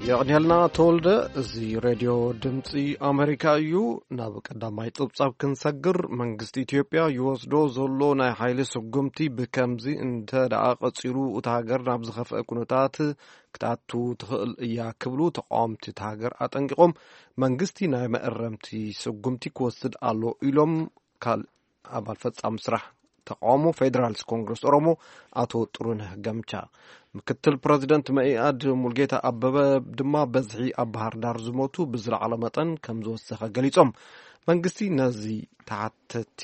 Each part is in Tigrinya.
የቕንየልና ተወልደ። እዚ ሬድዮ ድምፂ ኣሜሪካ እዩ። ናብ ቀዳማይ ጸብጻብ ክንሰግር፣ መንግስቲ ኢትዮጵያ ይወስዶ ዘሎ ናይ ሓይሊ ስጉምቲ ብከምዚ እንተ ደኣ ቀጺሉ፣ እታ ሃገር ናብ ዝኸፍአ ኩነታት ክትኣቱ ትኽእል እያ ክብሉ ተቃወምቲ እታ ሃገር ኣጠንቂቖም። መንግስቲ ናይ መእረምቲ ስጉምቲ ክወስድ ኣሎ ኢሎም። ካልእ ኣባል ፈጻሚ ስራሕ ተቃውሞ ፌደራሊስት ኮንግረስ ኦሮሞ ኣቶ ጥሩነህ ገምቻ፣ ምክትል ፕረዚደንት መኢኣድ ሙልጌታ ኣበበ ድማ በዝሒ ኣብ ባህር ዳር ዝሞቱ ብዝለዓለ መጠን ከም ዝወሰኸ ገሊጾም። መንግስቲ ነዚ ተሓተቲ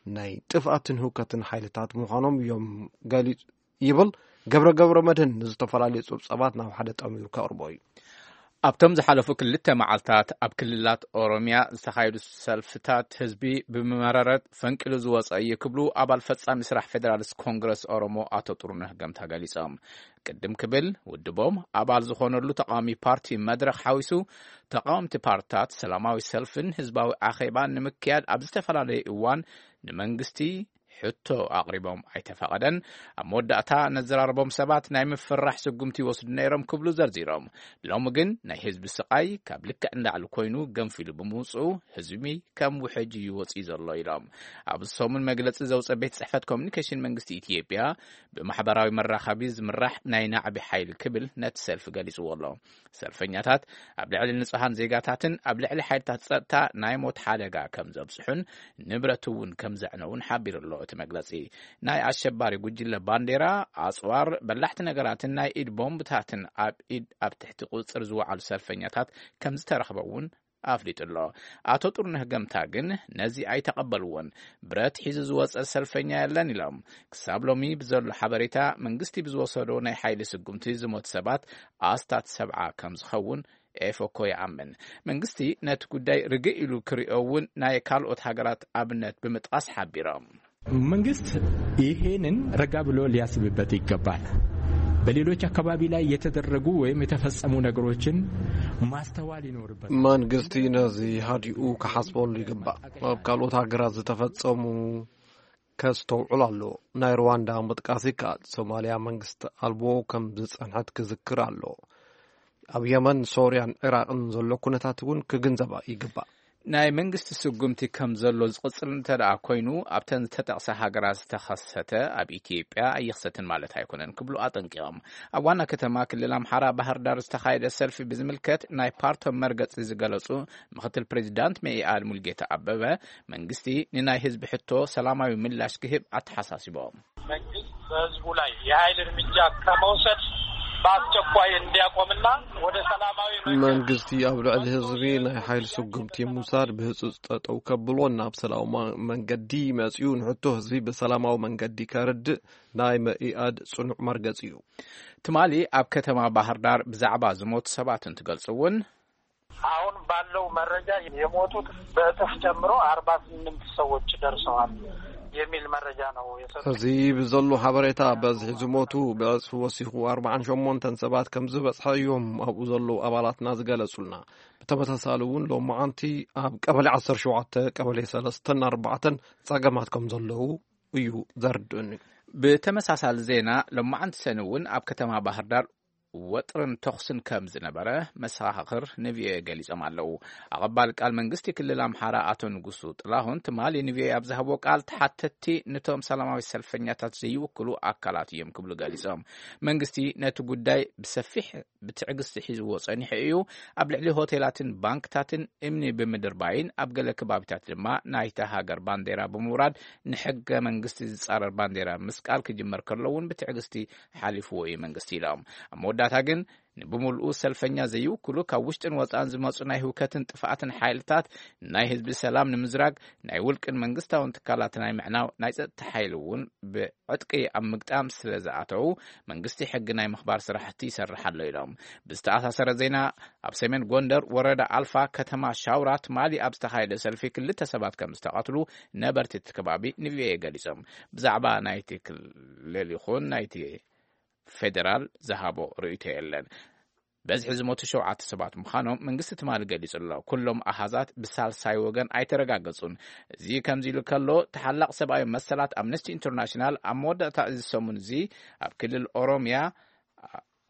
ናይ ጥፍኣትን ህውከትን ሓይልታት ምዃኖም እዮም ገሊጹ ይብል። ገብረ ገብረ መድህን ንዝተፈላለዩ ጸብጻባት ናብ ሓደ ጠሚሩ ከቕርቦ እዩ። ኣብቶም ዝሓለፉ ክልተ መዓልታት ኣብ ክልላት ኦሮሚያ ዝተኻየዱ ሰልፍታት ህዝቢ ብመረረት ፈንቂሉ ዝወፀ እዩ ክብሉ ኣባል ፈጻሚ ስራሕ ፌደራሊስት ኮንግረስ ኦሮሞ ኣቶ ጥሩነህ ገምታ ገሊጾም። ቅድም ክብል ውድቦም ኣባል ዝኾነሉ ተቃዋሚ ፓርቲ መድረኽ ሓዊሱ ተቃወምቲ ፓርትታት ሰላማዊ ሰልፍን ህዝባዊ ኣኼባን ንምክያድ ኣብ ዝተፈላለየ እዋን ንመንግስቲ ሕቶ ኣቕሪቦም ኣይተፈቐደን። ኣብ መወዳእታ ነዘራረቦም ሰባት ናይ ምፍራሕ ስጉምቲ ይወስዱ ነይሮም ክብሉ ዘርዚሮም። ሎሚ ግን ናይ ህዝቢ ስቓይ ካብ ልክዕ ንላዕሊ ኮይኑ ገንፊሉ ብምውፅኡ ህዝቢ ከም ውሕጅ እዩ ወፂኡ ዘሎ ኢሎም። ኣብ ሰሙን መግለፂ ዘውፀ ቤት ፅሕፈት ኮሚኒኬሽን መንግስቲ ኢትዮጵያ ብማሕበራዊ መራኸቢ ዝምራሕ ናይ ናዕቢ ሓይሊ ክብል ነቲ ሰልፊ ገሊፅዎ ኣሎ። ሰልፈኛታት ኣብ ልዕሊ ንጹሃን ዜጋታትን ኣብ ልዕሊ ሓይልታት ጸጥታ ናይ ሞት ሓደጋ ከም ዘብጽሑን ንብረት እውን ከም ዘዕነውን ሓቢሩ ኣሎ እቲ መግለጺ። ናይ ኣሸባሪ ጉጅለ ባንዴራ፣ ኣጽዋር፣ በላሕቲ ነገራትን ናይ ኢድ ቦምብታትን ኣብ ኢድ ኣብ ትሕቲ ቁጽጽር ዝወዓሉ ሰልፈኛታት ከም ዝተረኽበ እውን ኣፍሊጡ ኣሎ። ኣቶ ጥሩነህ ገምታ ግን ነዚ ኣይተቐበልዎን። ብረት ሒዙ ዝወጸ ሰልፈኛ የለን ኢሎም። ክሳብ ሎሚ ብዘሎ ሓበሬታ መንግስቲ ብዝወሰዶ ናይ ሓይሊ ስጉምቲ ዝሞት ሰባት ኣስታት ሰብዓ ከም ዝኸውን ኤፎኮ ይኣምን። መንግስቲ ነቲ ጉዳይ ርግእ ኢሉ ክሪኦ እውን ናይ ካልኦት ሃገራት ኣብነት ብምጥቃስ ሓቢሮም። መንግስት ይሄንን ረጋ ብሎ ሊያስብበት ይገባል። በሌሎች አካባቢ ላይ የተደረጉ ወይም የተፈጸሙ ነገሮችን ማስተዋል ይኖርበታል። መንግስቲ ነዚ ሃዲኡ ክሓስበሉ ይግባእ። ኣብ ካልኦት ሃገራት ዝተፈጸሙ ከስተውዕል ኣሎ። ናይ ሩዋንዳ ምጥቃስ ይከኣል። ሶማልያ መንግስቲ ኣልቦ ከም ዝጸንሐት ክዝክር ኣሎ። ኣብ የመን፣ ሶርያን ዒራቕን ዘሎ ኩነታት እውን ክግንዘባ ይግባእ። ናይ መንግስቲ ስጉምቲ ከም ዘሎ ዝቕጽል እንተ ደኣ ኮይኑ፣ ኣብተን ዝተጠቕሳ ሃገራት ዝተኸሰተ ኣብ ኢትዮጵያ ኣይኽሰትን ማለት ኣይኮነን ክብሉ ኣጠንቂቖም። ኣብ ዋና ከተማ ክልል ኣምሓራ ባህር ዳር ዝተኻየደ ሰልፊ ብዝምልከት ናይ ፓርቶም መርገጺ ዝገለጹ ምኽትል ፕሬዚዳንት መኢኣድ ሙልጌታ ኣበበ፣ መንግስቲ ንናይ ህዝቢ ሕቶ ሰላማዊ ምላሽ ክህብ ኣተሓሳሲቦም። መንግስት በህዝቡ ላይ የኃይል እርምጃ ከመውሰድ በአስቸኳይ እንዲያቆምና ወደ ሰላማዊ መንገድ መንግስቲ ኣብ ልዕሊ ህዝቢ ናይ ሓይል ስጉምቲ ምውሳድ ብህጹጽ ጠጠው ከብሎ፣ ናብ ሰላማዊ መንገዲ መጺኡ ንሕቶ ህዝቢ ብሰላማዊ መንገዲ ከርድእ ናይ መኢኣድ ጽኑዕ መርገጺ እዩ። ትማሊ ኣብ ከተማ ባህር ዳር ብዛዕባ ዝሞቱ ሰባት እንትገልጹ እውን፣ አሁን ባለው መረጃ የሞቱት በእጥፍ ጨምሮ አርባ ስምንት ሰዎች ደርሰዋል የሚል መረጃ ነው የሰጡት። እዚ ብዘሎ ሓበሬታ በዝሒ ዝሞቱ ብዕጽፊ ወሲኹ ኣርባዓን ሸሞንተን ሰባት ከም ዝበጽሐ እዮም ኣብኡ ዘለዉ ኣባላትና ዝገለጹልና። ብተመሳሳሊ እውን ሎማዓንቲ ኣብ ቀበሌ ዓሰርተ ሸውዓተ፣ ቀበሌ ሰለስተን ኣርባዕተን ጸገማት ከም ዘለዉ እዩ ዘርድኡኒ። ብተመሳሳሊ ዜና ሎማዓንቲ ሰኒ እውን ኣብ ከተማ ባህር ዳር ወጥርን ተኹስን ከም ዝነበረ መሰኻኽር ንቪኦኤ ገሊጾም ኣለዉ። ኣቐባሊ ቃል መንግስቲ ክልል ኣምሓራ ኣቶ ንጉሱ ጥላሁን ትማሊ ንቪኦኤ ኣብ ዝሃብዎ ቃል፣ ተሓተትቲ ነቶም ሰላማዊ ሰልፈኛታት ዘይውክሉ ኣካላት እዮም ክብሉ ገሊጾም። መንግስቲ ነቲ ጉዳይ ብሰፊሕ ብትዕግስቲ ሒዝዎ ጸኒሑ እዩ። ኣብ ልዕሊ ሆቴላትን ባንክታትን እምኒ ብምድርባይን ኣብ ገለ ከባቢታት ድማ ናይታ ሃገር ባንዴራ ብምውራድ ንሕገ መንግስቲ ዝጻረር ባንዴራ ምስቃል ክጅመር ከሎ እውን ብትዕግስቲ ሓሊፍዎ እዩ መንግስቲ ኢሎም። ኣብ መወዳእታ ግን ንብምልኡ ሰልፈኛ ዘይውክሉ ካብ ውሽጥን ወጻእን ዝመጹ ናይ ህውከትን ጥፍኣትን ሓይልታት ናይ ህዝቢ ሰላም ንምዝራግ ናይ ውልቅን መንግስታውን ትካላት ናይ ምዕናው ናይ ጸጥታ ሓይሊ እውን ብዕጥቂ ኣብ ምግጣም ስለ ዝኣተዉ መንግስቲ ሕጊ ናይ ምኽባር ስራሕቲ ይሰርሕ ኣሎ ኢሎም። ብዝተኣሳሰረ ዜና ኣብ ሰሜን ጎንደር ወረዳ ኣልፋ ከተማ ሻውራ ትማሊ ኣብ ዝተኻየደ ሰልፊ ክልተ ሰባት ከም ዝተቐትሉ ነበርቲ እቲ ከባቢ ንቪኦኤ ገሊጾም። ብዛዕባ ናይቲ ክልል ይኹን ናይቲ ፌደራል ዝሃቦ ርእይቶ የለን። በዝሒ ዝሞቱ ሸውዓተ ሰባት ምዃኖም መንግስቲ ትማሊ ገሊጹ ኣሎ። ኩሎም ኣሃዛት ብሳልሳይ ወገን ኣይተረጋገጹን። እዚ ከምዚ ኢሉ ከሎ፣ ተሓላቕ ሰብኣዊ መሰላት ኣምነስቲ ኢንተርናሽናል ኣብ መወዳእታ እዚ ሰሙን እዚ ኣብ ክልል ኦሮምያ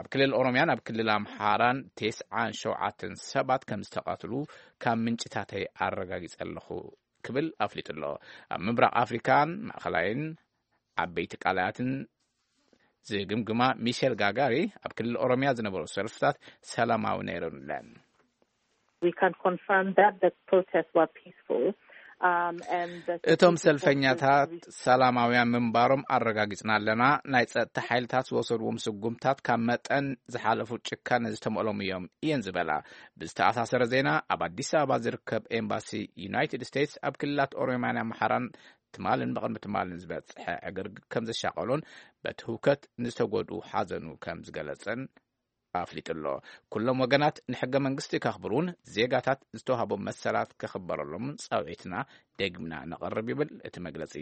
ኣብ ክልል ኦሮምያን ኣብ ክልል ኣምሓራን ተስዓን ሸውዓተን ሰባት ከም ዝተቐትሉ ካብ ምንጭታተይ ኣረጋጊጸ ኣለኹ ክብል ኣፍሊጡ ኣሎ። ኣብ ምብራቕ ኣፍሪካን ማእኸላይን ዓበይቲ ቃላያትን ዝግምግማ ሚሸል ጋጋሪ፣ ኣብ ክልል ኦሮምያ ዝነበሩ ሰልፍታት ሰላማዊ ነይረን። We can confirm that the protests were peaceful. Um, and the እቶም security ሰልፈኛታት forces ሰላማውያን ምንባሮም ኣረጋጊጽና ኣለና። ናይ ጸጥታ ሓይልታት ዝወሰድዎም ስጉምታት ካብ መጠን ዝሓለፉ ጭካነ ዝተመሎም እዮም እየን ዝበላ። ብዝተኣሳሰረ ዜና፣ ኣብ ኣዲስ ኣበባ ዝርከብ ኤምባሲ ዩናይትድ ስቴትስ ኣብ ክልላት ኦሮምያን ኣምሓራን ትማልን ብቕድሚ ትማልን ዝበጽሐ ዕግርግር ከም ዘሻቐሎን በቲ ህውከት ንዝተጎድኡ ሓዘኑ ከም ዝገለጸን ኣፍሊጡ ኣሎ። ኩሎም ወገናት ንሕገ መንግስቲ ከኽብሩን ዜጋታት ዝተዋህቦም መሰላት ክኽበረሎምን ጻውዒትና ደግምና ነቕርብ ይብል እቲ መግለጺ።